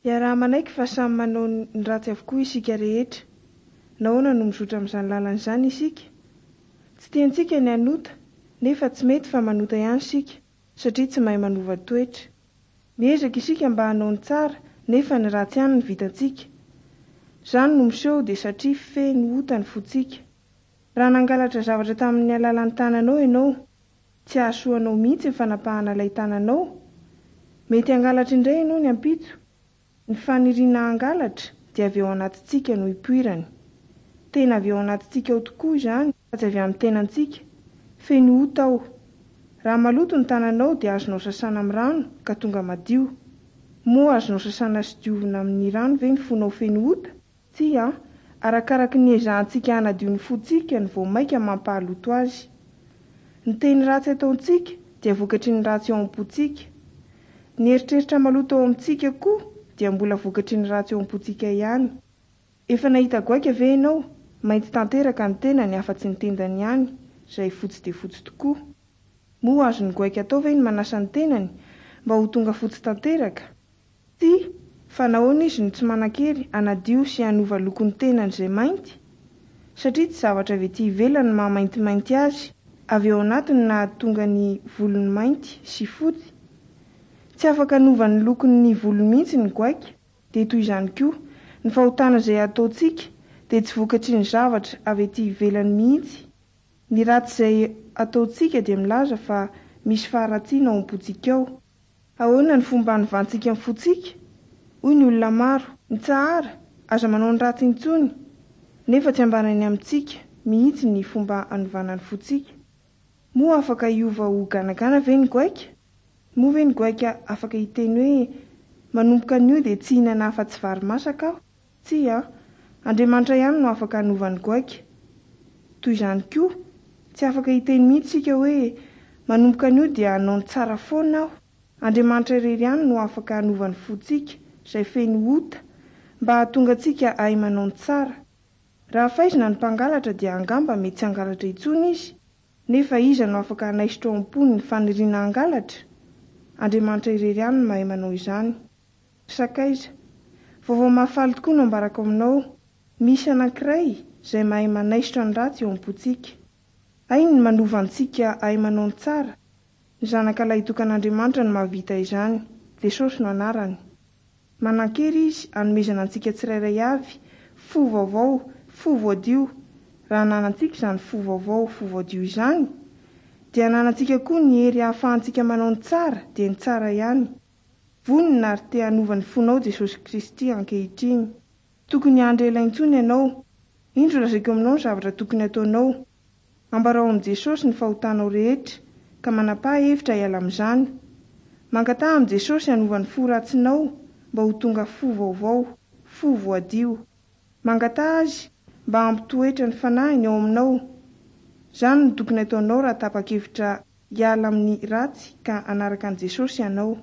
Iaraha-manaiky fa samy manao ny ratsy avokoa isika rehetra. Nahoana no mizotra amin'izany lalana izany isika? Tsy tiantsika ny hanota, nefa tsy mety fa manota ihany isika, satria tsy mahay manova toetra. Miezaka isika mba hanao ny tsara, nefa ny ratsy ihany no vitantsika. Izany no miseho dia satria feno ota ny fontsika. Raha nangalatra zavatra tamin'ny alalan'ny tananao ianao, tsy hahasoa anao mihitsy ny fanapahana ilay tananao. Mety hangalatra indray ianao ny ampitso. Ny faniriana hangalatra dia avy ao anatintsika no ipoirany. Tena avy ao anatintsika ao tokoa izany fa tsy avy amin'ny tenantsika. Feno ota ao. Raha maloto ny tananao dia azonao sasana amin'ny rano ka tonga madio. Moa azonao sasana sy diovina amin'ny rano ve ny fonao feno ota? Tsia. Arakaraky ny iezahantsika hanadio ny fontsika no vao maika mampahaloto azy. Ny teny ratsy ataontsika dia vokatry ny ratsy ao am-pontsika. Ny eritreritra maloto ao amintsika koa dia mbola vokatry ny ratsy ao am-pontsika ihany. Efa nahita goaika ve ianao? Mainty tanteraka ny tenany afa-tsy ny tendany ihany izay fotsy dia fotsy tokoa. Moa azon'ny goaika atao ve ny manasa ny tenany mba ho tonga fotsy tanteraka? Tsia, fa nahoana izy no tsy manan-kery hanadio sy hanova loko ny tenany izay mainty? Satria tsy zavatra avy ety ivelany no maha-maintimainty azy, avy ao anatiny no nahatonga ny volony mainty sy fotsy. Tsy afaka hanova ny lokon'ny volony mihitsy ny goaika, dia toy izany koa, ny fahotana izay ataontsika dia tsy vokatry ny zavatra avy ety ivelany mihitsy. Ny ratsy izay ataontsika dia milaza fa misy faharatsiana ao am-pontsika ao. Ahoana ny fomba hanovantsika ny fontsika? Hoy ny olona maro, Mitsahara, aza manao ny ratsy intsony! Nefa tsy ambarany amintsika mihitsy ny fomba hanovana ny fontsika. Moa afaka hiova ho ganagana ve ny goaika? Moa ve ny goaika afaka hiteny hoe, Manomboka anio dia tsy hihinana afa-tsy vary masaka aho? Tsia. Andriamanitra ihany no afaka hanova ny goaika. Toy izany koa, tsy afaka hiteny mihitsy isika hoe, Manomboka anio dia hanao ny tsara foana aho. Andriamanitra irery ihany no afaka hanova ny fontsika, izay feno ota, mba hahatonga antsika hahay manao ny tsara. Raha faizina ny mpangalatra dia angamba mety tsy hangalatra intsony izy, nefa iza no afaka hanaisotra ao am-pony ny faniriana hangalatra? Andriamanitra irery ihany no mahay manao izany. Ry sakaiza, vaovao mahafaly tokoa no ambarako aminao, misy anankiray izay mahay manaisotra ny ratsy eo am-pontsika. Hainy ny manova antsika hahay manao ny tsara, ny Zanaka lahitokan'Andriamanitra no mahavita izany, Jesosy no anarany. Manan-kery Izy hanomezana antsika tsirairay avy fo vaovao, fo voadio. Raha ananantsika izany fo vaovao, fo voadio izany, dia ananantsika koa ny hery hahafahantsika manao ny tsara, dia ny tsara ihany. Vonona ary te hanova ny fonao Jesosy Kristy ankehitriny. Tokony hiandry ela intsony ianao. Indro lazaiko aminao ny zavatra tokony hataonao. Ambarao amin'i Jesosy ny fahotanao rehetra, ka manapaha hevitra hiala amin'izany. Mangataha amin'i Jesosy hanova ny fo ratsinao mba ho tonga fo vaovao, fo voadio. Mangataha Azy mba hampitoetra ny Fanahiny ao aminao. Izany no tokony hataonao raha tapa-kevitra hiala amin'ny ratsy ka hanaraka an'i Jesosy ianao.